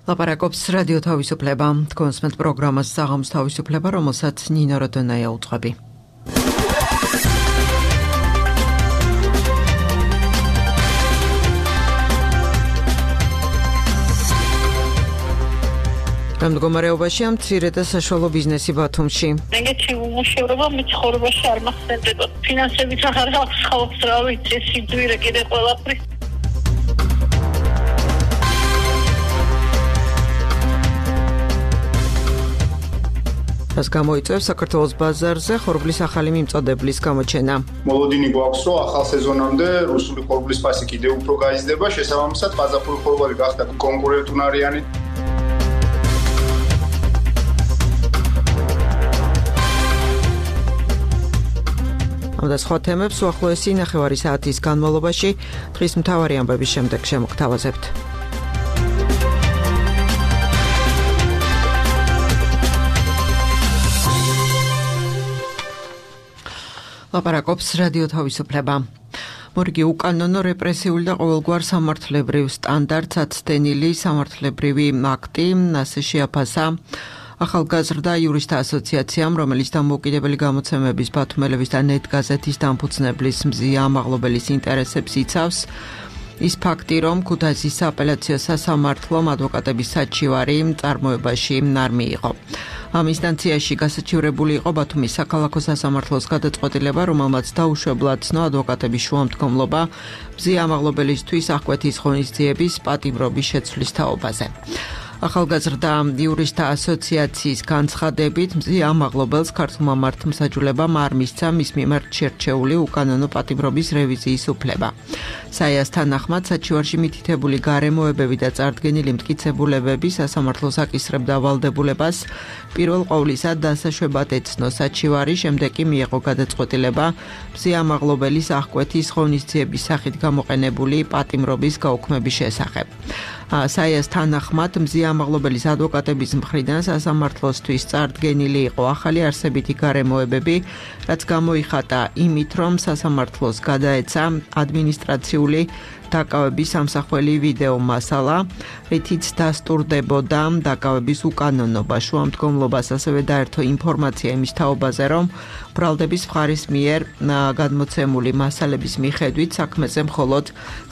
ლაპარაკობს რადიო თავისუფლება, თქვენს პროგრამას საღამოს თავისუფლება, რომელსაც ნინო როდონაია უძღვები. მდგომარეობაშია მცირე და საშუალო ბიზნესი ბათუმში. ეგეთი უმუშევრობა მცხოვრებაში არ მახსენდება. ფინანსებით აღარ აქვს ხალხს რა ვიცი, სიძვირე კიდე ყველაფრის. რაც გამოიწვევს საქართველოს ბაზარზე ხორბლის ახალი მიმწოდებლის გამოჩენა. მოლოდინი გვაქვს, რომ ახალ სეზონამდე რუსული ხორბლის ფასი კიდევ უფრო გაიზრდება, შესაბამისად ყაზახური ხორბალი გახდა კონკურენტუნარიანი. ამ და სხვა თემებს უახლოესი ნახევარი საათის განმავლობაში დღის მთავარი ამბების შემდეგ შემოგთავაზებთ. ლაპარაკობს რადიო თავისუფლება. მორიგი უკანონო რეპრესიული და ყოველგვარ სამართლებრივ სტანდარტს აცდენილი სამართლებრივი აქტი ასე შეაფასა ახალგაზრდა იურისტთა ასოციაციამ, რომელიც დამოუკიდებელი გამოცემების ბათუმელების და ნეტ გაზეთის დამფუძნებლის მზია ამაღლობელის ინტერესებს იცავს. ის ფაქტი, რომ ქუთაისის სააპელაციო სასამართლომ ადვოკატების საჩივარი წარმოებაში არ მიიღო. ამ ინსტანციაში გასაჩივრებული იყო ბათუმის საქალაქო სასამართლოს გადაწყვეტილება, რომელმაც დაუშვებლად ცნო ადვოკატების შუამდგომლობა მზია ამაღლობელისთვის აღკვეთის ღონისძიების პატიმრობის შეცვლის თაობაზე. ახალგაზრდა იურისტთა ასოციაციის განცხადებით, მზია ამაღლობელს ქართულმა მართლმსაჯულებამ არ მისცა მის მიმართ შერჩეული უკანონო პატიმრობის რევიზიის უფლება. საიას თანახმად, საჩივარში მითითებული გარემოებები და წარდგენილი მტკიცებულებები სასამართლოს აკისრებდა ვალდებულებას პირველ ყოვლისა დასაშვებად ეცნო საჩივარი, შემდეგ კი მიიღო გადაწყვეტილება მზია ამაღლობელის აღკვეთის ღონისძიების სახით გამოყენებული პატიმრობის გაუქმების შესახებ. საიას თანახმად, მზია ამაღლობელის ადვოკატების მხრიდან სასამართლოსთვის წარდგენილი იყო ახალი არსებითი გარემოებები, რაც გამოიხატა იმით, რომ სასამართლოს გადაეცა ადმინისტრაციული დაკავების სამსახველი ვიდეო მასალა, რითიც დასტურდებოდა დაკავების უკანონობა, შუამდგომლობას, ასევე დაერთო ინფორმაცია იმის თაობაზე, რომ ბრალდების მხარის მიერ გადმოცემული მასალების მიხედვით საქმეზე მხოლოდ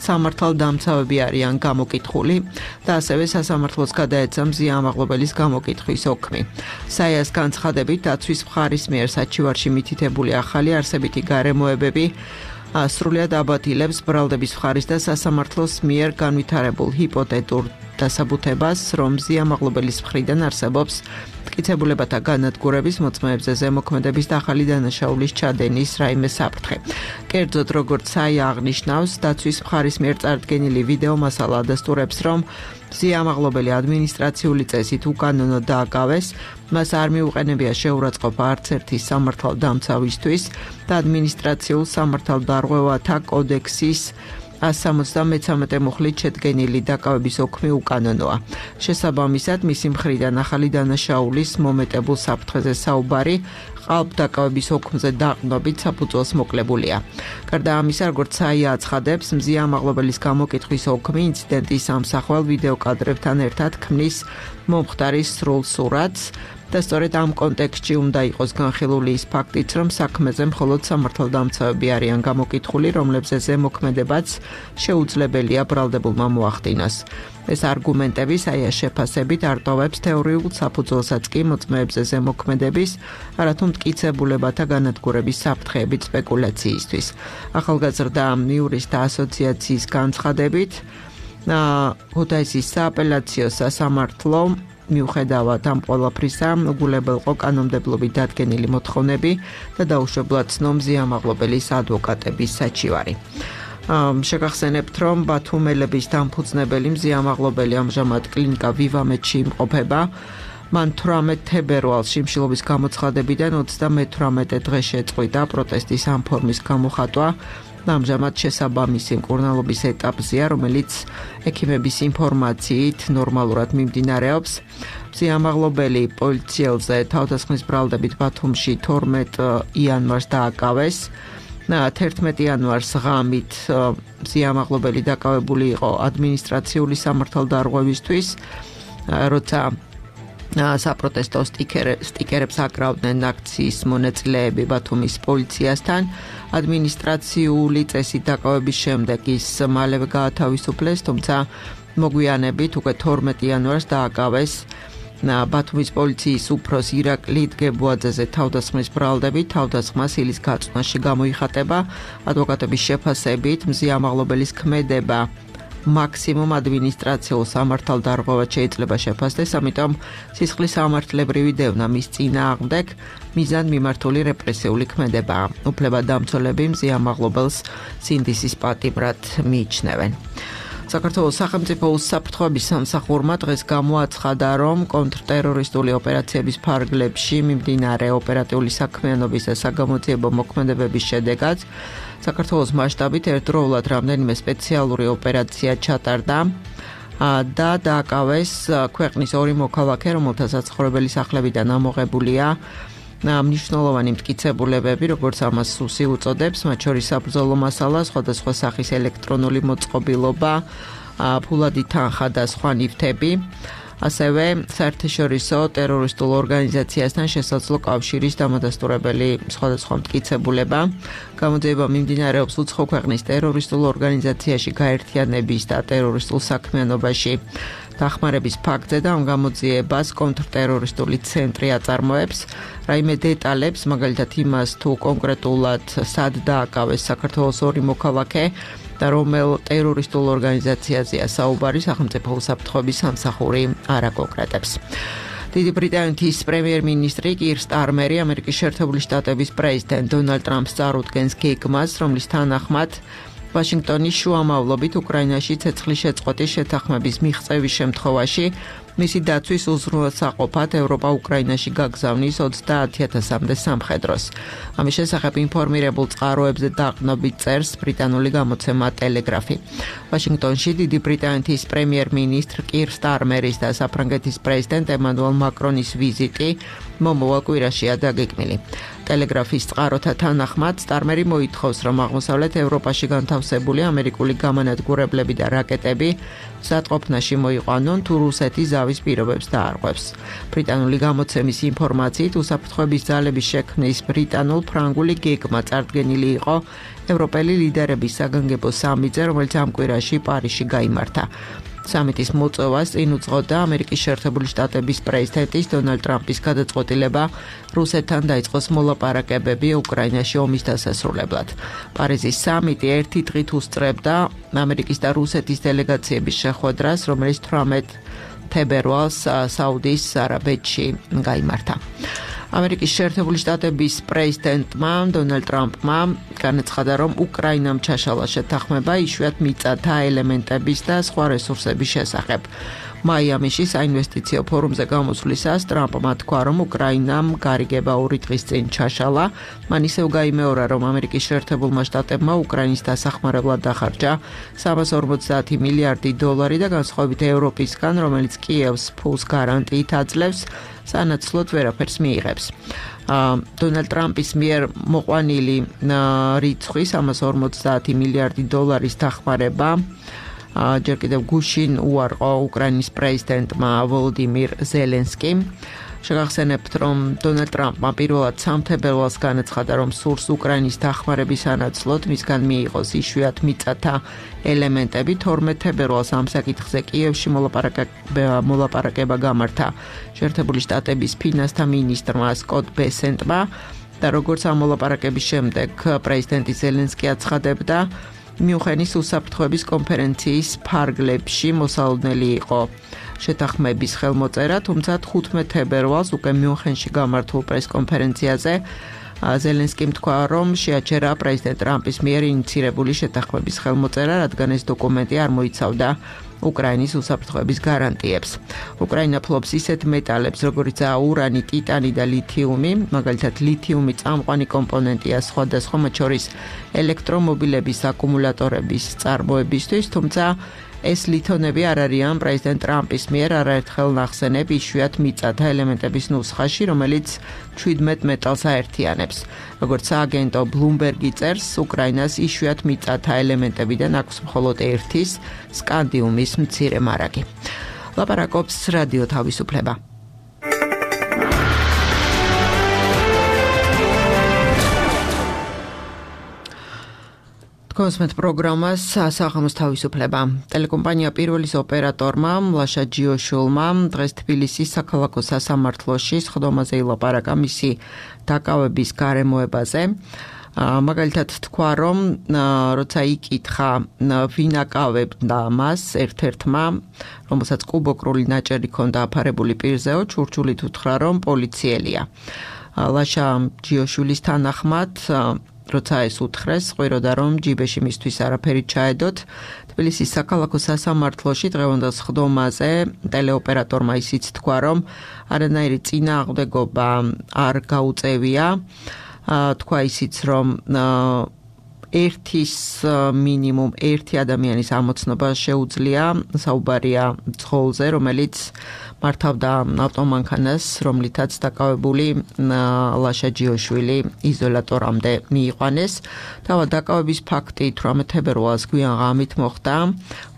სამართალდამცავები არიან გამოკითხული და ასევე სასამართლოს გადაეცა მზია ამაღლობელის გამოკითხვის ოქმი. საიას განცხადებით, დაცვის მხარის მიერ საჩივარში მითითებული ახალი არსებითი გარემოებები სრულად აბატილებს ბრალდების მხარის და სასამართლოს მიერ განვითარებულ ჰიპოთეტურ დასაბუთებას, რომ მზია ამაღლობელის მხრიდან არსებობს მტკიცებულებათა განადგურების, მოწმეებზე ზემოქმედების და ახალი დანაშაულის ჩადენის რაიმე საფრთხე. კერძოდ, როგორც საია აღნიშნავს, დაცვის მხარის მიერ წარდგენილი ვიდეო მასალა ადასტურებს, რომ მზია ამაღლობელი ადმინისტრაციული წესით უკანონო დააკავეს, მას არ მიუყენებია შეურაცხყოფა არც ერთი სამართალდამცავისთვის და ადმინისტრაციულ სამართალდარღვევათა კოდექსის 173 მუხლით შედგენილი დაკავების ოქმი უკანონოა. შესაბამისად, მისი მხრიდან ახალი დანაშაულის მომეტებულ საფრთხეზე საუბარი ყალბდაკავების ოქმზე დაყრდნობით საფუძველს მოკლებულია. გარდა ამისა, როგორც საია აცხადებს, მზია ამაღლობელის გამოკითხვის ოქმი ინციდენტის ამსახველ ვიდეო კადრებთან ერთად ქმნის მომხდარის სრულ სურათს და სწორედ ამ კონტექსტში უნდა იყოს განხილული ის ფაქტიც, რომ საქმეზე მხოლოდ სამართალდამცავები არიან გამოკითხული, რომლებზე ზემოქმედებაც შეუძლებელია ბრალდებულმა მოახდინოს. ეს არგუმენტები საიას შეფასებით არტოვებს თეორიულ საფუძველსაც კი მოწმეებზე ზემოქმედების, არათუ მტკიცებულებათა განადგურების საფრთხეებით სპეკულაციისთვის. ახალგაზრდა იურისტთა ასოციაციის განცხადებით, ქუთაისის სააპელაციო სასამართლო მიუხედავად ამ ყველაფრისა, უგულებელყო კანონმდებლობით დადგენილი მოთხოვნები და დაუშვებლად ცნო მზია ამაღლობელის ადვოკატების საჩივარი. შეგახსენებთ, რომ ბათუმელების დამფუძნებელი მზია ამაღლობელი ამჟამად კლინიკა ვივამედში იმყოფება. მან 18 თებერვალს შიმშილობის გამოცხადებიდან 38 დღე შეწყვიტა პროტესტის ამ ფორმის გამოხატვა. ამჟამად შესაბამისი მკურნალობის ეტაპზეა, რომელიც ექიმების ინფორმაციით ნორმალურად მიმდინარეობს. მზია ამაღლობელი პოლიციელზე თავდასხმის ბრალდებით ბათუმში 12 იანვარს დააკავეს. 11 იანვარს ღამით მზია ამაღლობელი დაკავებული იყო ადმინისტრაციული სამართალდარღვევისთვის როცა საპროტესტო სტიკერებს აკრავდნენ აქციის მონაწილეები ბათუმის პოლიციასთან, ადმინისტრაციული წესით დაკავების შემდეგ ის მალევე გაათავისუფლეს, თუმცა მოგვიანებით უკვე 12 იანვარს დააკავეს ბათუმის პოლიციის უფროს ირაკლი დგებუაძეზე თავდასხმის ბრალდებით, თავდასხმა სილის გაწვნაში გამოიხატება, ადვოკატების შეფასებით მზი ამაღლობელის ქმედება მაქსიმუმ ადმინისტრაციულ სამართალდარღვევად შეიძლება შეფასდეს, ამიტომ სისხლის სამართლებრივი დევნა მის წინააღმდეგ მიზანმიმართული მიმართული რეპრესიული ქმედებაა. უფლებადამცველები მზი ამაღლობელს სინდისის პატიმრად მიიჩნევენ. საქართველოს სახელმწიფო უსაფრთხოების სამსახურმა დღეს გამოაცხადა, რომ კონტრტერორისტული ოპერაციების ფარგლებში მიმდინარე ოპერატიული საქმიანობის და საგამოძიებო მოქმედებების შედეგად საქართველოს მასშტაბით ერთდროულად რამდენიმე სპეციალური ოპერაცია ჩატარდა და დააკავეს ქვეყნის 2 მოქალაქე, რომელთა საცხოვრებელი სახლებიდან ამოღებულია მნიშვნელოვანი მტკიცებულებები, როგორც ამას სუსი უწოდებს, მათ შორის საბრძოლო მასალა, სხვადასხვა სახის ელექტრონული მოწყობილობა, ფულადი თანხა და სხვა ნივთები, ასევე საერთაშორისო ტერორისტულ ორგანიზაციასთან შესაძლო კავშირის დამადასტურებელი სხვადასხვა მტკიცებულება. გამოძიება მიმდინარეობს უცხო ქვეყნის ტერორისტულ ორგანიზაციაში გაერთიანების და ტერორისტულ საქმიანობაში დახმარების ფაქტზე და ამ გამოძიებას კონტრტერორისტული ცენტრი აწარმოებს. რაიმე დეტალებს, მაგალითად იმას, თუ კონკრეტულად სად დააკავეს საქართველოს 2 მოქალაქე და რომელ ტერორისტულ ორგანიზაციაზეა საუბარი, სახელმწიფო უსაფრთხოების სამსახური არ აკონკრეტებს. დიდი ბრიტანეთის პრემიერ-მინისტრი კირ სტარმერი ამერიკის შეერთებული შტატების პრეზიდენტ დონალდ ტრამპს წარუდგენს გეგმას, რომლის თანახმად ვაშინგტონის შუამავლობით უკრაინაში ცეცხლის შეწყვეტის შეთანხმების მიღწევის შემთხვევაში მისი დაცვის უზრუნველსაყოფად ევროპა უკრაინაში გაგზავნის 30,000-მდე სამხედროს. ამის შესახებ ინფორმირებულ წყაროებზე დაყრდნობით წერს ბრიტანული გამოცემა ტელეგრაფი. ვაშინგტონში დიდი ბრიტანეთის პრემიერ-მინისტრ კირ სტარმერის და საფრანგეთის პრეზიდენტ ემანუელ მაკრონის ვიზიტი მომავალ კვირაშია დაგეგმილი. ტელეგრაფის წყაროთა თანახმად სტარმერი მოითხოვს, რომ აღმოსავლეთ ევროპაში განთავსებული ამერიკული გამანადგურებლები და რაკეტები მზადყოფნაში მოიყვანონ, თუ რუსეთი ზავის პირობებს დაარღვევს. ბრიტანული გამოცემის ინფორმაციით, უსაფრთხოების ძალების შექმნის ბრიტანულ-ფრანგული გეგმა წარდგენილი იყო ევროპელი ლიდერების საგანგებო სამიტზე, რომელიც ამ კვირაში პარიზში გაიმართა. სამიტის მოწვევას წინ უძღოდა ამერიკის შეერთებული შტატების პრეზიდენტის დონალდ ტრამპის გადაწყვეტილება რუსეთთან დაიწყოს მოლაპარაკებები უკრაინაში ომის დასასრულებლად. პარიზის სამიტი ერთი დღით უსწრებდა ამერიკის და რუსეთის დელეგაციების შეხვედრას, რომელიც 18 თებერვალს საუდის არაბეთში გაიმართა. ამერიკის შეერთებული შტატების პრეზიდენტმა დონალდ ტრამპმა განაცხადა, რომ უკრაინამ ჩაშალა შეთანხმება იშვიათ მიწათა ელემენტების და სხვა რესურსების შესახებ. მაიამიში საინვესტიციო ფორუმზე გამოსვლისას ტრამპმა თქვა, რომ უკრაინამ გარიგება 2 დღის წინ ჩაშალა. მან ისევ გაიმეორა, რომ ამერიკის შეერთებულმა შტატებმა უკრაინის დასახმარებლად დახარჯა 350 მილიარდი დოლარი და განსხვავებით ევროპისგან, რომელიც კიევს ფულს გარანტიით აძლევს, სანაცვლოდ ვერაფერს მიიღებს. დონალდ ტრამპის მიერ მოყვანილი რიცხვი 350 მილიარდი დოლარის დახმარება ჯერ კიდევ გუშინ უარყო უკრაინის პრეზიდენტმა ვოლოდიმირ ზელენსკიმ. შეგახსენებთ, რომ დონალდ ტრამპმა პირველად 3 თებერვალს განაცხადა, რომ სურს უკრაინის დახმარების სანაცვლოდ მისგან მიიღოს იშვიათ მიწათა ელემენტები. 12 თებერვალს ამ საკითხზე კიევში მოლაპარაკება გამართა შეერთებული შტატების ფინანსთა მინისტრმა სკოტ ბესენტმა და როგორც ამ მოლაპარაკების შემდეგ პრეზიდენტი ზელენსკი აცხადებდა, მიუნხენის უსაფრთხოების კონფერენციის ფარგლებში მოსალოდნელი იყო შეთანხმების ხელმოწერა, თუმცა 15 თებერვალს უკვე მიუნხენში გამართულ პრესკონფერენციაზე ზელენსკიმ თქვა, რომ შეაჩერა პრეზიდენტ ტრამპის მიერ ინიცირებული შეთანხმების ხელმოწერა, რადგან ეს დოკუმენტი არ მოიცავდა უკრაინის უსაფრთხოების გარანტიებს. უკრაინა ფლობს ისეთ მეტალებს, როგორიცაა ურანი, ტიტანი და ლითიუმი, მაგალითად ლითიუმი წამყვანი კომპონენტია სხვადასხვა, მათ შორის ელექტრომობილების აკუმულატორების წარმოებისთვის, თუმცა ეს ლითონები არ არიან პრეზიდენტ ტრამპის მიერ არაერთხელ ნახსენებ იშვიათ მიწათა ელემენტების ნუსხაში, რომელიც 17 მეტალს აერთიანებს. როგორც სააგენტო ბლუმბერგი წერს, უკრაინას იშვიათ მიწათა ელემენტებიდან აქვს მხოლოდ ერთის, სკანდიუმის მცირე მარაგი. ლაპარაკობს რადიო თავისუფლება. კონსმეთ პროგრამას სახამოს თავისუფლება. ტელეკომპანია პირველის ოპერატორმა ლაშა ჯიოშულმა დღეს თბილისის საქალაქო სასამართლოში სხდომაზე ილაპარაკა მისი დაკავების გარემოებაზე. მაგალითად თქვა, რომ როცა იკითხა ვინ აკავებდა მას ერთ-ერთმა, რომელსაც კუბოკრული ნაჭერი ჰქონდა აფარებული პირზეო, ჩურჩულით უთხრა, რომ პოლიციელია. ლაშა ჯიოშულის თანახმად როცა ეს უთხრეს, ყვიროდა რომ ჯიბეში მისთვის არაფერი ჩაედოთ. თბილისის საქალაქო სასამართლოში დღევანდელ სხდომაზე ტელეოპერატორმა ისიც თქვა, რომ არანაირი წინააღმდეგობა არ გაუწევია. თქვა ისიც, რომ მინიმუმ ერთი ადამიანის ამოცნობა შეუძლია, საუბარია ძღოლზე, რომელიც მართავდა ავტომანქანას, რომლითაც დაკავებული ლაშა ჯიოშვილი იზოლატორამდე მიიყვანეს. თავად დაკავების ფაქტი 18 თებერვალს გვიან ღამით მოხდა.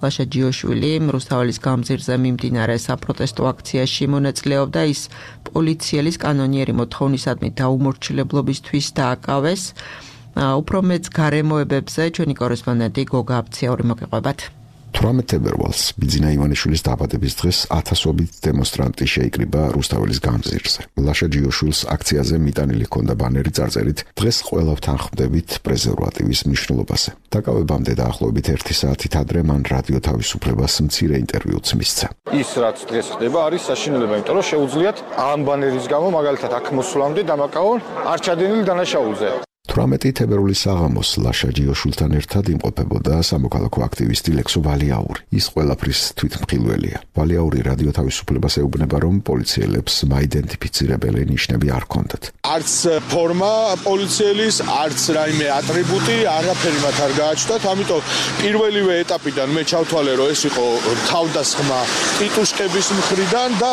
ლაშა ჯიოშვილი რუსთაველის გამზირზე მიმდინარე საპროტესტო აქციაში მონაწილეობდა. ის პოლიციელის კანონიერი მოთხოვნისადმი დაუმორჩილებლობისთვის დააკავეს. უფრო მეც გარემოებებზე ჩვენი კორესპონდენტი გოგა აფციური მოგეყვებათ. 18 თებერვალს ბიძინა ივანიშვილის დაბადების დღეს ათასობით დემონსტრანტი შეიკრიბა რუსთაველის გამზირზე. ლაშა ჯიოშვილს აქციაზე მიტანილი ჰქონდა ბანერი წარწერით დღეს ყველა ვთანხმდებით პრეზერვატივის მნიშვნელობაზე. დაკავებამდე დაახლოებით 1 საათით ადრე მან რადიო თავისუფლებას მცირე ინტერვიუც მისცა. ის რაც დღეს ხდება არის საშინელება, იმიტომ რომ შეუძლიათ ამ ბანერის გამო მაგალითად აქ მოსვლამდე დამაკავონ არ ჩადენილი დანაშაულზე. 18 თებერვლის საღამოს ლაშა ჯიოშვილთან ერთად იმყოფებოდა სამოქალაქო აქტივისტი ლექსო ვალიაური. ის ყველაფრის თვითმხილველია. ვალიაური რადიო თავისუფლებას ეუბნება, რომ პოლიციელებს მაიდენტიფიცირებელი ნიშნები არ ჰქონდათ. არც ფორმა პოლიციელის, არც რაიმე ატრიბუტი, არაფერი მათ არ გააჩნდათ, ამიტომ პირველივე ეტაპიდან მე ჩავთვალე, რომ ეს იყო თავდასხმა ტიტუშკების მხრიდან და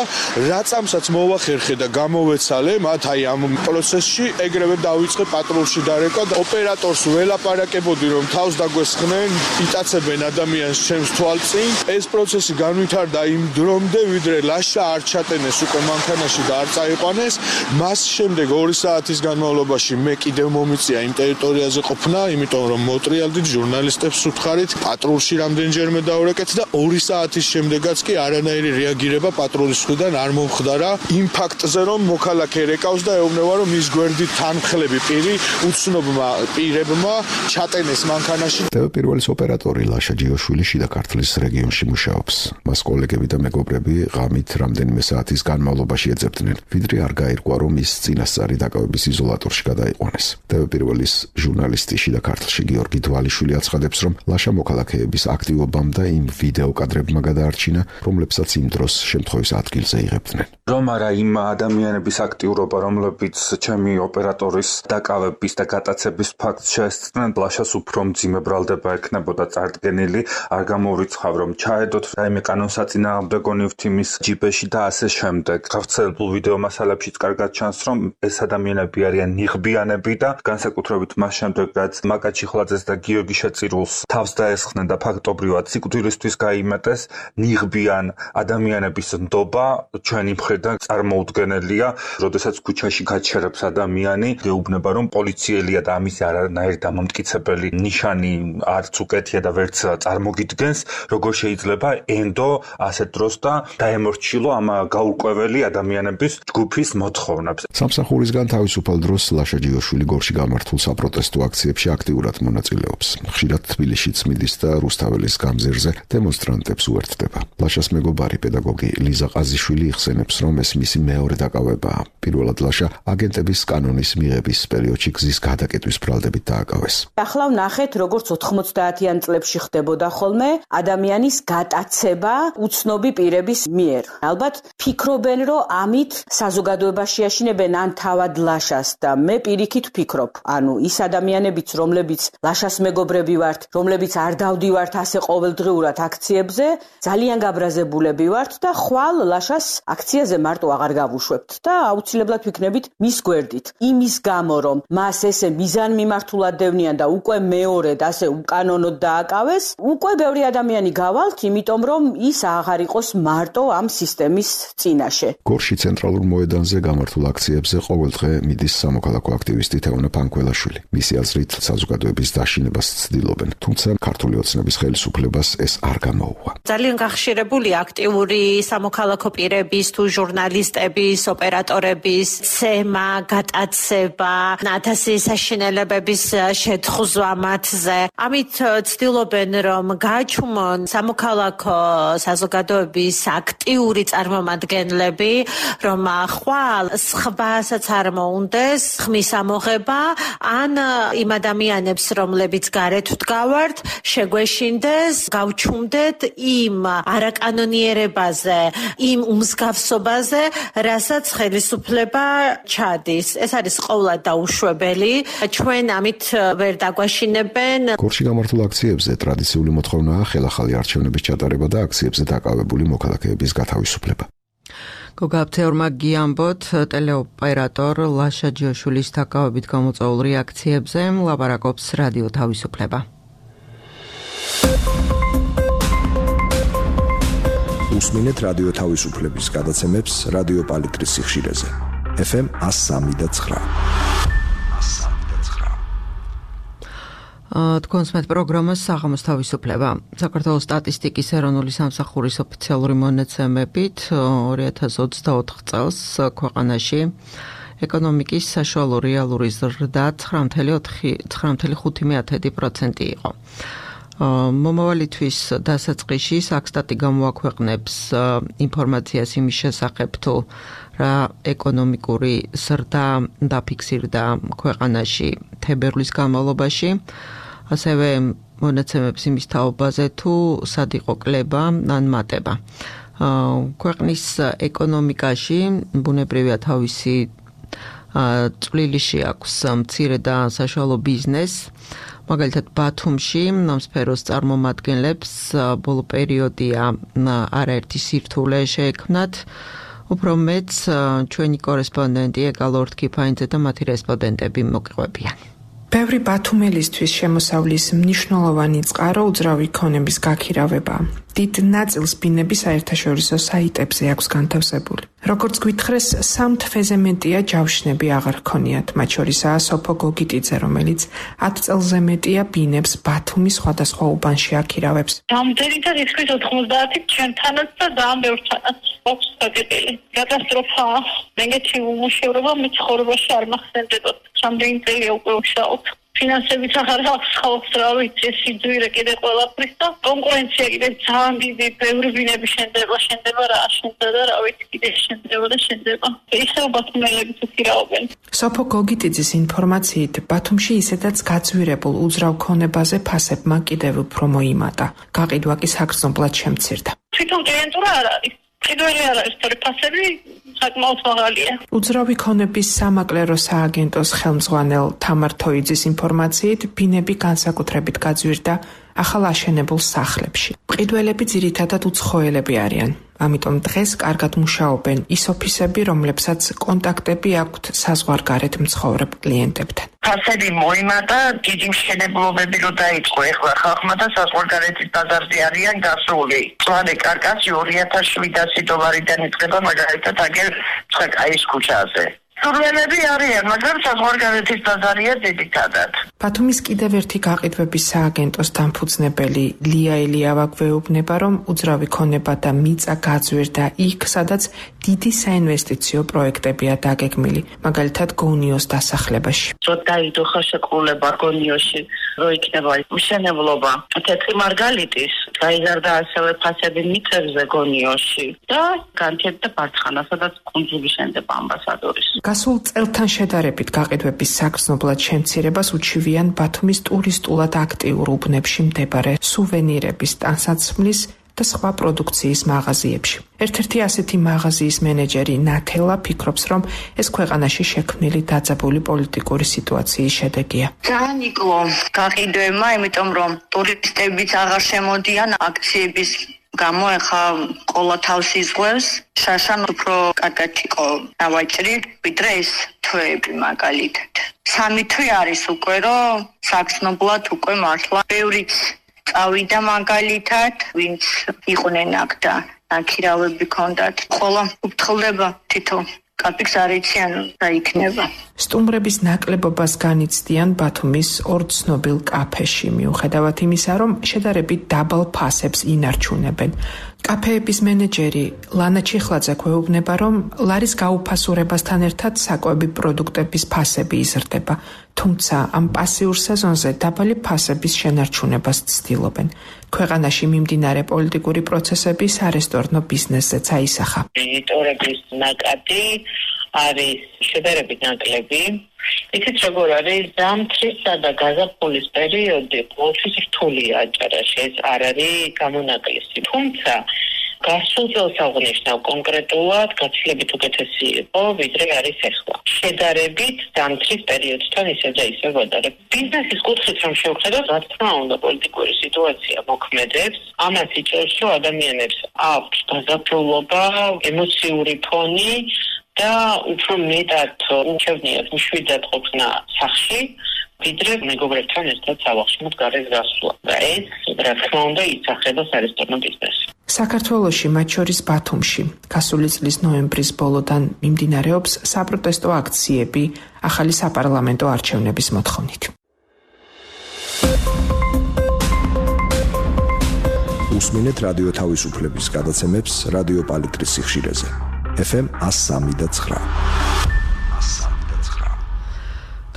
რაცამსაც მოვახერხე და გამოვეცალე, მათ აი ამ პროცესში ეგრევე დავიწყე პატრულში დარეკვა და ოპერატორს ველაპარაკებოდი, რომ თავს დაგვესხნენ, იტაცებენ ადამიანს ჩემს თვალწინ. ეს პროცესი განვითარდა იმ დრომდე, ვიდრე ლაშა არ ჩატენეს უკვე მანქანაში და არ წაიყვანეს. მას შემდეგ 2 საათის განმავლობაში მე კიდევ მომიწია იმ ტერიტორიაზე ყოფნა, იმიტომ რომ მოტრიალდით ჟურნალისტებს უთხარით, პატრულში რამდენჯერმე დავრეკეთ და 2 საათის შემდეგაც კი არანაირი რეაგირება პატრულის მხრიდან არ მომხდარა იმ ფაქტზე, რომ მოქალაქე რეკავს და ეუბნება, რომ ის გვერდით თანმხლები პირი უცნობმა პირებმა ჩატენეს მანქანაში. პირველის ოპერატორი ლაშა ჯიოშვილი შიდა ქართლის რეგიონში მუშაობს. მას კოლეგები და მეგობრები ღამით რამდენიმე საათის განმავლობაში ეძებდნენ, ვიდრე არ გაირკვა, რომ ის წინასწარი დაკავების იზოლატორში გადაიყვანეს. პირველის ჟურნალისტი შიდა ქართლში გიორგი დვალიშვილი აცხადებს, რომ ლაშა მოქალაქეების აქტივობამ და იმ ვიდეო კადრებმა გადაარჩინა, რომლებსაც იმ დროს შემთხვევის ადგილზე იღებდნენ. რომ არა იმ ადამიანების აქტიურობა, რომლებიც ჩემი ოპერატორის დაკავების და გატაცების ფაქტს შეესწრნენ, ლაშას უფრო მძიმე ბრალდება ექნებოდა წარდგენილი, არ გამოვრიცხავ, რომ ჩაედოთ რაიმე კანონსაწინააღმდეგო ნივთი ჯიბეში და ასე შემდეგ. გავრცელებულ ვიდეო მასალებშიც კარგად ჩანს, რომ ეს ადამიანები არიან ნიღბიანები და განსაკუთრებით მას შემდეგ, რაც მაკა ჩიხლაძეს და გიორგი შეწირულს თავს დაესხნენ და ფაქტობრივად სიკვდილისთვის გაიმეტეს, ნიღბიან ადამიანების ნდობა ჩვენი მხრიდან წარმოუდგენელია. როდესაც ქუჩაში გაჩერებს ადამიანი, გეუბნება, რომ პოლიციელია და ამის არანაირი დამამტკიცებელი ნიშანი არც უკეთია და ვერც წარმოგიდგენს, როგორ შეიძლება ენდო ასეთ დროს და დაემორჩილო ამ გაურკვეველი ადამიანების ჯგუფის მოთხოვნებს. სამსახურისგან თავისუფალ დროს ლაშა ჯიოშვილი გორში გამართულ საპროტესტო აქციებში აქტიურად მონაწილეობს. ხშირად თბილისშიც მიდის და რუსთაველის გამზირზე დემონსტრანტებს უერთდება. ლაშას მეგობარი პედაგოგი ლიზა ყაზიშვილი იხსენებს, რომ ეს მისი მეორე დაკავებაა. პირველად ლაშა აგენტების კანონის მიღების პერიოდში გზის გადაკეტვის ბრალდებით დააკავეს. ახლა ვნახეთ, როგორც 90-იან წლებში ხდებოდა ხოლმე ადამიანის გატაცება უცნობი პირების მიერ. ალბათ ფიქრობენ, რომ ამით საზოგადოებაში აშინებენ ან თავად ლაშას და მე პირიქით ვფიქრობ. ანუ ის ადამიანებიც, რომლებიც ლაშას მეგობრები ვართ, რომლებიც არ დავდივართ ასე ყოველდღიურად აქციებზე, ძალიან გაბრაზებულები ვართ და ხვალ ლაშას აქციაზე მარტო აღარ გავუშვებთ და აუცილებლად ვიქნებით მის გვერდით. იმის გამო, რომ მას ესე მიზანმიმართულად დევნიან და უკვე მეორედ ასე უკანონოდ დააკავეს, უკვე ბევრი ადამიანი გავალთ, იმიტომ რომ ის აღარ იყოს მარტო ამ სისტემის წინაშე. გორში ცენტრალურ მოედანზე გამართულ აქციებზე ყოველდღე მიდის სამოქალაქო აქტივისტი თეონა ფანქველაშვილი. მისი აზრით საზოგადოების დაშინებას ცდილობენ, თუმცა ქართული ოცნების ხელისუფლებას ეს არ გამოუვა. ძალიან გახშირებული აქტიური სამოქალაქო პირების თუ ჟურნალისტების, ოპერატორების ცემა, გატაცება, ათასი საშინელებების შეთხზვა მათზე. ამით ცდილობენ რომ გააჩუმონ სამოქალაქო საზოგადოების აქტიური წარმომადგენლები, რომ ხვალ სხვასაც არ მოუნდეს ხმის ამოღება, ან იმ ადამიანებს, რომლებიც გარეთ ვდგავართ, შეგვეშინდეს, გავჩუმდეთ იმ არაკანონიერებაზე, იმ უმსგავსობაზე, რასაც ხელისუფლება ჩადის. ეს არის ყოვლად დაუშვებელი. ჩვენ ამით ვერ დაგვაშინებენ. გორში გამართულ აქციებზე ტრადიციული მოთხოვნაა ხელახალი არჩევნების ჩატარება და აქციებზე დაკავებული მოქალაქეების გათავისუფლება. გოგაბთეორმა გიამბოთ ტელეოპერატორ ლაშა ჯიოშვილის დაკავებით გამოწვეულ რეაქციებზე ლაპარაკობს რადიო თავისუფლება. უსმინეთ რადიო თავისუფლების გადაცემებს რადიო პალიტრის სიხშირეზე. FM 103.9. თქვენს მეტ პროგრამას საღამოს თავისუფლება. საქართველოს სტატისტიკის ეროვნული სამსახურის ოფიციალური მონაცემებით 2024 წელს ქვეყანაში ეკონომიკის საშუალო რეალური ზრდა 9.5% იყო. მომავალი თვის დასაწყისში საქსტატი გამოაქვეყნებს ინფორმაციას იმის შესახებ თუ რა ეკონომიკური ზრდა დაფიქსირდა ქვეყანაში თებერვლის განმავლობაში. ასევე მონაცემებს იმის თაობაზე თუ სად იყო კლება ან მატება. ქვეყნის ეკონომიკაში ბუნებრივია თავისი წვლილი შეაქვს მცირე და საშუალო ბიზნესს. მაგალითად ბათუმში ამ სფეროს წარმომადგენლებს ბოლო პერიოდია არაერთი სირთულე შეექმნათ. უფრო მეც ჩვენი კორესპონდენტი ეკალორდ კიფაინძე და მათი რესპონდენტები მოგყვებიან. ბევრი ბათუმელისთვის შემოსავლის მნიშვნელოვანი წყარო უძრავი ქონების გაქირავება. დიდ ნაწილს ბინების საერთაშორისო საიტებზე აქვს განთავსებული. როგორც გვითხრეს, 3 თვეზე მეტია ჯავშნები აღარ ქონიათ, მათ შორისაა სოფო გოგიტიძე, რომელიც 10 წელზე მეტია ბინებს ბათუმის სხვადასხვა უბანში აქირავებს. Რამდენი და რისკის 90 ჩვენთანაც და ძალიან ბევრთანაც აქვს საკეთილი. კატასტროფაა. მეგეთი უმუშევრობა მეცხოვრებაში არ მახსენდებოდა. რამდენი წელია უკვე ვშაობ. ფინანსებით აღარ აქვს ხალხს, რა ვიცი, სიძვირე კიდე ყველაფრის და კონკურენცია კიდე ძალიან დიდი, ბევრი ბინები შენდება რა შენდება და რა ვიცი კიდე შენდება. ისევ ბათუმელები თქირაობენ. სოფო გოგიტიძის ინფორმაციით, ბათუმში ისედაც გაძვირებულ უძრავ ქონებაზე ფასებმა კიდევ უფრო მოიმატა. გაყიდვა კი საგრძნობლად შემცირდა. თვითონ კლიენტურა არ არის. კიდევ არ არის თორე ფასები საკმაოდ მაღალია. უძრავი ქონების სამაკლერო სააგენტოს ხელმძღვანელ თამარ თოიძის ინფორმაციით, ბინები განსაკუთრებით გაძვირდა ახალ აშენებულ სახლებში. მყიდველები ძირითადად უცხოელები არიან. ამიტომ დღეს კარგად მუშაობენ ის ოფისები, რომლებსაც კონტაქტები აქვთ საზღვარგარეთ მცხოვრებ კლიენტებთან. ფასები მოიმატა, დიდი მშენებლობები რო დაიწყო ეხლა ხალხმა და საზღვარგარეთის ბაზარზე არიან გასული. მწვანე კარკასი $2,700-დან იწყება მაგალითად აგერ ცხაკაის ქუჩაზე. სურვენები არიან, მაგრამ საზღვარგარეთის ბაზარია ძირითადად. ბათუმის კიდევ ერთი გაყიდვების სააგენტოს დამფუძნებელი ლია ელიავა გვეუბნება, რომ უძრავი ქონება და მიწა გაძვირდა იქ, სადაც დიდი საინვესტიციო პროექტებია დაგეგმილი, მაგალითად გონიოს დასახლებაში. რო დაიდოხა შეკრულება გონიოში, რო იქნება მშენებლობა თეთრი მარგალიტის, გაიზარდა ასევე ფასები მიწებზე გონიოში და განთებდა ბარცხანა, სადაც კუნძული შენდება ამბასადორის. გასულ წელთან შედარებით გაყიდვების საგრძნობლად შემცირებას უჩივიან ბათუმის ტურისტულად აქტიურ უბნებში მდებარე სუვენირების, ტანსაცმლის და სხვა პროდუქციის მაღაზიებში. ერთ-ერთი ასეთი მაღაზიის მენეჯერი ნათელა ფიქრობს, რომ ეს ქვეყანაში შექმნილი დაძაბული პოლიტიკური სიტუაციის შედეგია. ძალიან იკლო გაყიდვებმა, იმიტომ რომ ტურისტებიც აღარ შემოდიან, აქციების გამო ეხა ყოლა თავს იზღვევს შაშან უფრო კარგად იყო დავაჭრი ვიდრე ეს თვეები მაგალითად 3 თვე არის უკვე რომ საგრძნობლად უკვე მართლა ბევრიც წავიდა მაგალითად ვინც იყვნენ აქ და აქირავები ქონდათ ყოლა უფრთხილდება თითო კაპიქს არ იციან და იქნება. სტუმრების ნაკლებობას განიცდიან ბათუმის ორ ცნობილ კაფეში, მიუხედავად იმისა, რომ შედარებით დაბალ ფასებს ინარჩუნებენ. კაფეების მენეჯერი ლანა ჩიხლაძე გვეუბნება, რომ ლარის გაუფასურებასთან ერთად საკვები პროდუქტების ფასები იზრდება, თუმცა ამ პასიურ სეზონზე დაბალი ფასების შენარჩუნებას ცდილობენ. ქვეყანაში მიმდინარე პოლიტიკური პროცესები სარესტორნო ბიზნესზეც აისახა. ვიზიტორების ნაკადი არის შედარებით ნაკლები. იცით როგორ არის ზამთრისა და გაზაფხულის პერიოდი ყოველთვის რთულია აჭარაში, ეს არ არის გამონაკლისი. თუმცა გასულ წელს აღნიშნავ კონკრეტულად გაცილებით უკეთესი იყო, ვიდრე არის ახლა. შედარებით ზამთრის პერიოდთან ისევ და ისევ ვადარებ. ბიზნესის კუთხით რომ შევხედოთ, რა თქმა უნდა, პოლიტიკური სიტუაცია მოქმედებს. ამას იჭერს, რომ ადამიანებს აქვს გაზაფხულობა, ემოციური ფონი და უფრო მეტად უჩვენიათ მშვიდად ყოფნა სახლში, ვიდრე მეგობრებთან ერთად სავახშმოდ გარეთ გასვლა. და ეს, რა თქმა უნდა, ისახება სარესტორნო ბიზნესს. საქართველოში, მათ შორის ბათუმში, გასული წლის ნოემბრის ბოლოდან მიმდინარეობს საპროტესტო აქციები ახალი საპარლამენტო არჩევნების მოთხოვნით. უსმინეთ რადიო თავისუფლების გადაცემებს რადიო პალიტრის სიხშირეზე. FM 103.9.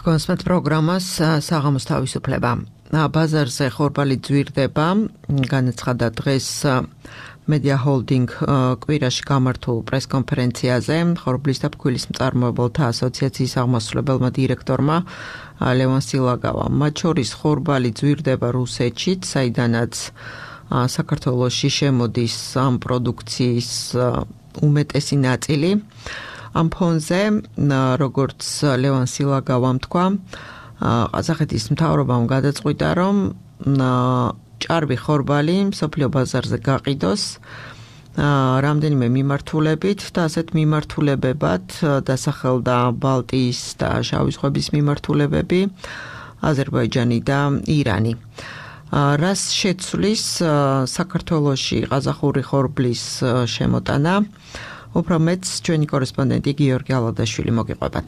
კონსმეთ პროგრამას საღამოს თავისუფლება. ბაზარზე ხორბალი ძვირდება, განაცხადა დღეს მედია ჰოლდინგ კვირაში გამართულ პრესკონფერენციაზე ხორბლის და ფქვილის მწარმოებელთა ასოციაციის აღმასრულებელმა დირექტორმა ლევან სილაგავამ. მათ შორის ხორბალი ძვირდება რუსეთშიც, საიდანაც საქართველოში შემოდის ამ პროდუქციის უმეტესი ნაწილი. ამ ფონზე, როგორც ლევან სილაგავამ თქვა, ყაზახეთის მთავრობამ გადაწყვიტა, რომ ჭარბი ხორბალი მსოფლიო ბაზარზე გაყიდოს რამდენიმე მიმართულებით და ასეთ მიმართულებებად დასახელდა ბალტიის და შავი ზღვების მიმართულებები, აზერბაიჯანი და ირანი. რას შეცვლის საქართველოში ყაზახური ხორბლის შემოტანა? უფრო მეც ჩვენი კორესპონდენტი გიორგი ალადაშვილი მოგიყვებათ.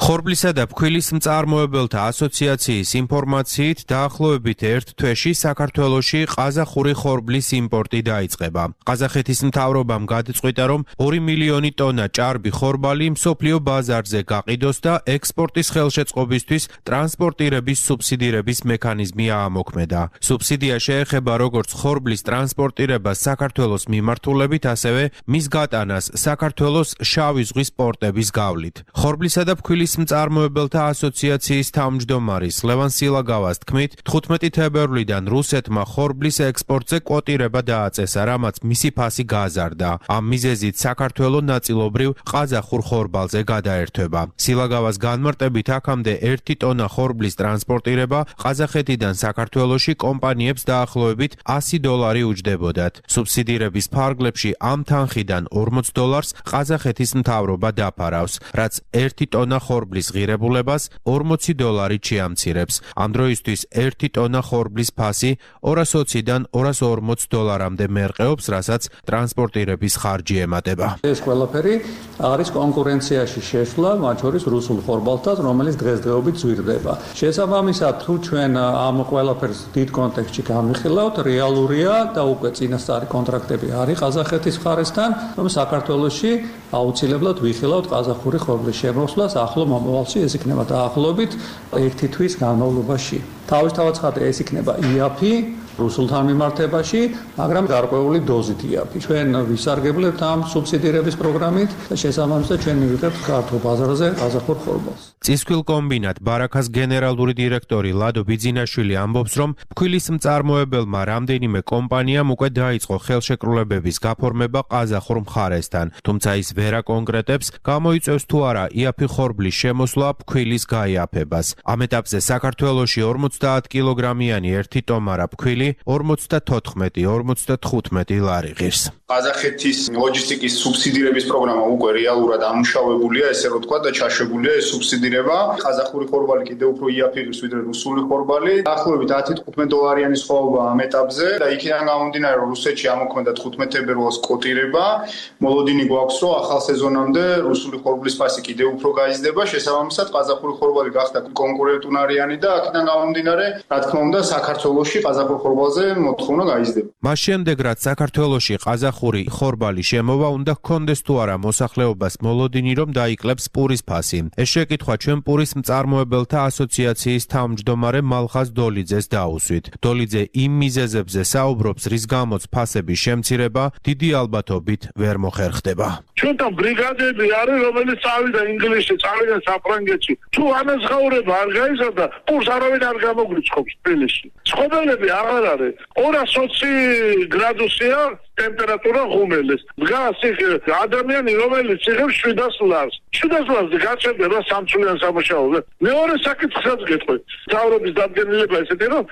ხორბლისა და ფქვილის მწარმოებელთა ასოციაციის ინფორმაციით დაახლოებით ერთ თვეში საქართველოში ყაზახური ხორბლის იმპორტი დაიწყება. ყაზახეთის მთავრობამ გადაწყვიტა, რომ 2 მილიონი ტონა ჭარბი ხორბალი მსოფლიო ბაზარზე გაყიდოს და ექსპორტის ხელშეწყობისთვის ტრანსპორტირების სუბსიდირების მექანიზმი აამოქმედა. სუბსიდია შეეხება როგორც ხორბლის ტრანსპორტირებას საქართველოს მიმართულებით, ასევე მის გატანას საქართველოს შავი ზღვის პორტების გავლით. ხორბლისა და ფქვილის მწარმოებელთა ასოციაციის თავმჯდომარის ლევან სილაგავას თქმით, 15 თებერვლიდან რუსეთმა ხორბლის ექსპორტზე კვოტირება დააწესა, რამაც მისი ფასი გააზარდა. ამ მიზეზით საქართველო ნაწილობრივ ყაზახურ ხორბალზე გადაერთვება. სილაგავას განმარტებით, აქამდე 1 ტონა ხორბლის ტრანსპორტირება ყაზახეთიდან საქართველოში კომპანიებს დაახლოებით $100 უჯდებოდათ. სუბსიდირების ფარგლებში ამ თანხიდან $40 ყაზახეთის მთავრობა დაფარავს, რაც 1 ტონა ხორბლის ღირებულებას $40 შეამცირებს. ამ დროისთვის 1 ტონა ხორბლის ფასი $220-დან $240-მდე მერყეობს, რასაც ტრანსპორტირების ხარჯი ემატება. ეს ყველაფერი არის კონკურენციაში შეცვლა, მათ შორის რუსულ ხორბალთან, რომელიც დღესდღეობით ძვირდება. შესაბამისად, თუ ჩვენ ამ ყველაფერს დიდ კონტექსტში გამიხილავთ, რეალურია და უკვე წინასწარი კონტრაქტები არის ყაზახეთის მხარესთან, რომ საქართველოში აუცილებლად ვიხილავთ ყაზახური ხორბლის შემოსვლას ახლო მომავალში, ეს იქნება დაახლოებით 1 თვის განმავლობაში. თავისთავად ეს იქნება იაფი რუსულთან მიმართებაში, მაგრამ გარკვეული დოზით იაფი. ჩვენ ვისარგებლებთ ამ სუბსიდირების პროგრამით და შესაბამისად ჩვენ მივიღებთ ქართულ ბაზარზე ყაზახურ ხორბალს. წისქვილ კომბინატ ბარაქას გენერალური დირექტორი ლადო ბიძინაშვილი ამბობს, რომ ფქვილის მწარმოებელმა რამდენიმე კომპანიამ უკვე დაიწყო ხელშეკრულებების გაფორმება ყაზახურ მხარესთან, თუმცა ის ვერ აკონკრეტებს, გამოიწევს თუ არა იაფი ხორბლის შემოსვლა ფქვილის გაიაფებას. ამ ეტაპზე საქართველოში 50 კილოგრამიანი 1 ტომარა ფქვილი ადგილი 54-55 ლარი ღირს. ყაზახეთის ლოჯისტიკის სუბსიდირების პროგრამა უკვე რეალურად ამუშავებულია, ესე რომ ვთქვა და ჩაშვებულია ეს სუბსიდირება. ყაზახური ხორბალი კიდევ უფრო იაფიღებს ვიდრე რუსული ხორბალი. დაახლოებით $10-15 სხვაობა ამ ეტაპზე და იქიდან გამომდინარე რომ რუსეთში ამოქმედა 15 თებერვალს კოტირება, მოლოდინი გვაქვს რომ ახალ სეზონამდე რუსული ხორბლის ფასი კიდევ უფრო გაიზრდება, შესაბამისად ყაზახური ხორბალი გახდა კონკურენტუნარიანი და აქედან გამომდინარე, რა თქმა უნდა, საქართველოში ყაზახურ ხორბალზე მოთხოვნა გაიზრდება. მას შემდეგ რაც საქართველოში ყაზახური ხორბალი შემოვა, უნდა ჰქონდეს თუ არა მოსახლეობას მოლოდინი რომ დაიკლებს პურის ფასი. ეს შეკითხვა ჩვენ პურის მწარმოებელთა ასოციაციის თავმჯდომარე მალხაზ დოლიძეს დაუსვით. დოლიძე იმ მიზეზებზე საუბრობს, რის გამოც ფასების შემცირება დიდი ალბათობით ვერ მოხერხდება. ჩვენთან ბრიგადები არის, რომელიც წავიდა ინგლისში, წავიდა საფრანგეთში. თუ ანაზღაურება არ გაიზარდა, პურს არავინ არ გამოგვიწყობს თბილისში. ცხოველები აღარ არის. 220 გრადუსია ტემპერატურა ღუმელის. დგას იქ ადამიანი, რომელიც იღებს 700 ლარს. 700 ლარს გაჩერდება სამწლიან სამუშაოზე. მეორე საკითხსაც გეტყვი. მთავრობის დადგენილება ესეთი, რომ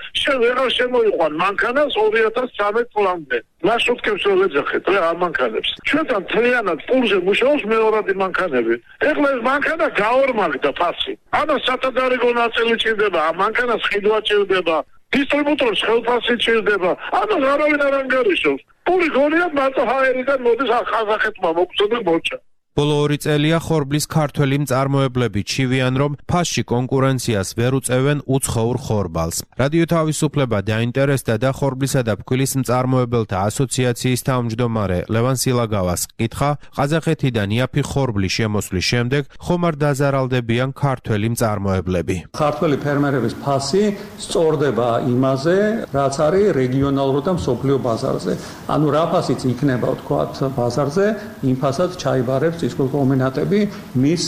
ვეღარ შემოიყვან მანქანას 2013 წლამდე. მარშრუტკებს რომ ეძახეთ რა ამ მანქანებს. ჩვენთან მთლიანად პურზე მუშაობს მეორადი მანქანები. ეხლა ეს მანქანა გაორმაგდა ფასი. ამას სათადარიგო ნაწილი ჭირდება, ამ მანქანას ხიდვა ჭირდება. დისტრიბუტორს ხელფასი ჭირდება. ამას არავინ არ ანგარიშობს. პური გონია მარტო ჰაერიდან მოდის ყაზახეთმა მოგწო და მოჭა. ბოლო 2 წელია ხორბლის ქართველი მწარმოებლები ჩივიან, რომ ფასში კონკურენციას ვერ უწევენ უცხოურ ხორბალს. რადიო თავისუფლება დაინტერესდა და ხორბლისა და ფქვილის მწარმოებელთა ასოციაციის თავმჯდომარე ლევან სილაგავას კითხა, ყაზახეთიდან იაფი ხორბლის შემოსვლის შემდეგ ხომ არ დაზარალდებიან ქართველი მწარმოებლები. ქართველი ფერმერების ფასი სწორდება იმაზე, რაც არის რეგიონალურ და მსოფლიო ბაზარზე. ანუ რა ფასიც იქნება, ვთქვათ, ბაზარზე, იმ ფასაც ჩაიბარებს ის კომბინატები მის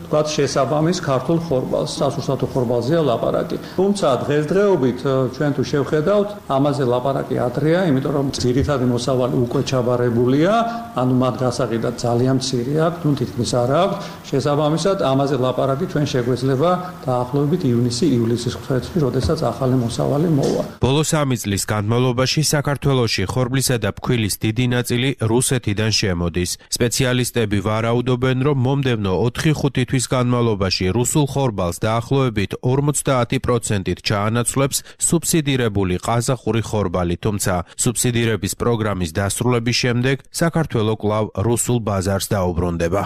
თქვათ შესაბამის ქართულ ხორბალს, სასურსათო ხორბალზეა ლაპარაკი. თუმცა დღესდღეობით ჩვენ თუ შევხედავთ, ამაზე ლაპარაკი ადრეა, იმიტომ რომ ძირითადი მოსავალი უკვე ჩაბარებულია, ანუ მათ გასაყიდად ძალიან მცირე აქვს, თუ თითქმის არ აქვს. შესაბამისად, ამაზე ლაპარაკი ჩვენ შეგვეძლება დაახლოებით ივლისის ხუთში, როდესაც ახალი მოსავალი მოვა. ბოლო 3 წლის განმავლობაში საქართველოში ხორბლისა და ფქვილის დიდი ნაწილი რუსეთიდან შემოდის. სპეციალისტები ვარაუდობენ, რომ მომდევნო 4-5 თვის განმავლობაში რუსულ ხორბალს დაახლოებით 50%-ით ჩაანაცვლებს სუბსიდირებული ყაზახური ხორბალი, თუმცა სუბსიდირების პროგრამის დასრულების შემდეგ საქართველო კვლავ რუსულ ბაზარს დაუბრუნდება.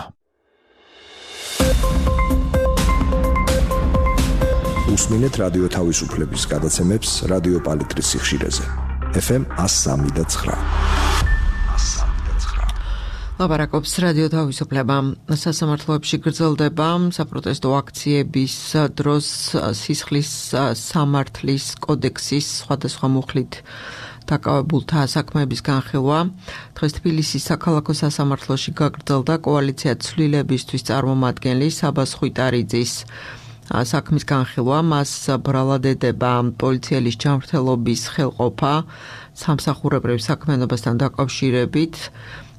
უსმინეთ რადიო თავისუფლების გადაცემებს რადიო პალიტრის სიხშირეზე. FM 103.9. ლაპარაკობს რადიო თავისუფლება. სასამართლოებში გრძელდება საპროტესტო აქციების დროს სისხლის სამართლის კოდექსის სხვადასხვა მუხლით დაკავებულთა საქმეების განხილვა. დღეს თბილისის საქალაქო სასამართლოში გაგრძელდა კოალიცია ცვლილებისთვის წარმომადგენელი საბას ხვიტარიძის საქმის განხილვა. მას ბრალად ედება პოლიციელის ჯანმრთელობის ხელყოფა სამსახურებრივ საქმიანობასთან დაკავშირებით.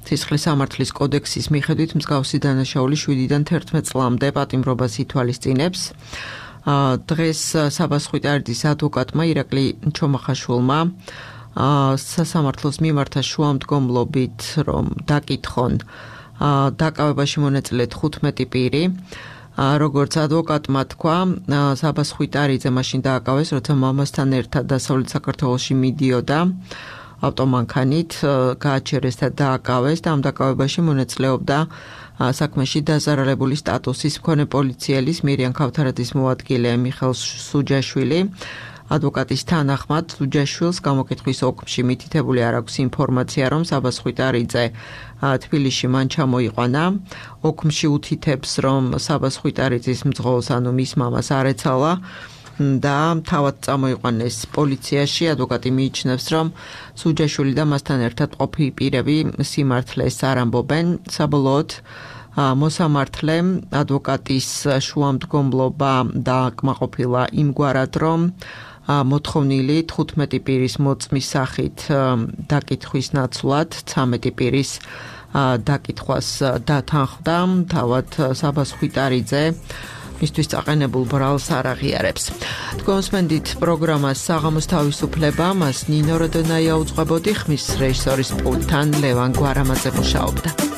სისხლის სამართლის კოდექსის მიხედვით მსგავსი დანაშაული 7-დან 11 წლამდე პატიმრობას ითვალისწინებს. დღეს საბას ხვიტარიძის ადვოკატმა ირაკლი ჩომახაშვილმა სასამართლოს მიმართა შუამდგომლობით, რომ დაკითხონ დაკავებაში მონაწილე 15 პირი. როგორც ადვოკატმა თქვა, საბას ხვიტარიძე მაშინ დააკავეს, როცა მამასთან ერთად დასავლეთ საქართველოში მიდიოდა ავტომანქანით, გააჩერეს და დააკავეს და ამ დაკავებაში მონაწილეობდა საქმეში დაზარალებული სტატუსის მქონე პოლიციელის მირიან ქავთარაძის მოადგილე მიხეილ სუჯაშვილი. ადვოკატის თანახმად სუჯაშვილს გამოკითხვის ოკმში მითითებული არ აქვს ინფორმაცია, რომ საბას ხვიტარიძე თბილისში მან ჩამოიყვანა. ოკმში უთითებს, რომ საბას ხვიტარიძის მძღოლს, ანუ მის მამას არ ეცალა და თავად წამოიყვანეს პოლიციაში. ადვოკატი მიიჩნევს, რომ სუჯაშვილი და მასთან ერთად ყოფილი პირები სიმართლეს არ ამბობენ. საბოლოოდ მოსამართლემ ადვოკატის შუამდგომლობა დააკმაყოფილა იმგვარად, რომ მოთხოვნილი 15 პირის მოწმის სახით დაკითხვის ნაცვლად 13 პირის დაკითხვას დათანხმდა. თავად საბას ხვიტარიძე მისთვის წაყენებულ ბრალს არ აღიარებს. თქვენს მენდით პროგრამას საღამოს თავისუფლება, მას ნინო როდონაია უძღვებოდი, ხმის რეჟისორის პულტთან ლევან გვარამაძე მუშაობდა.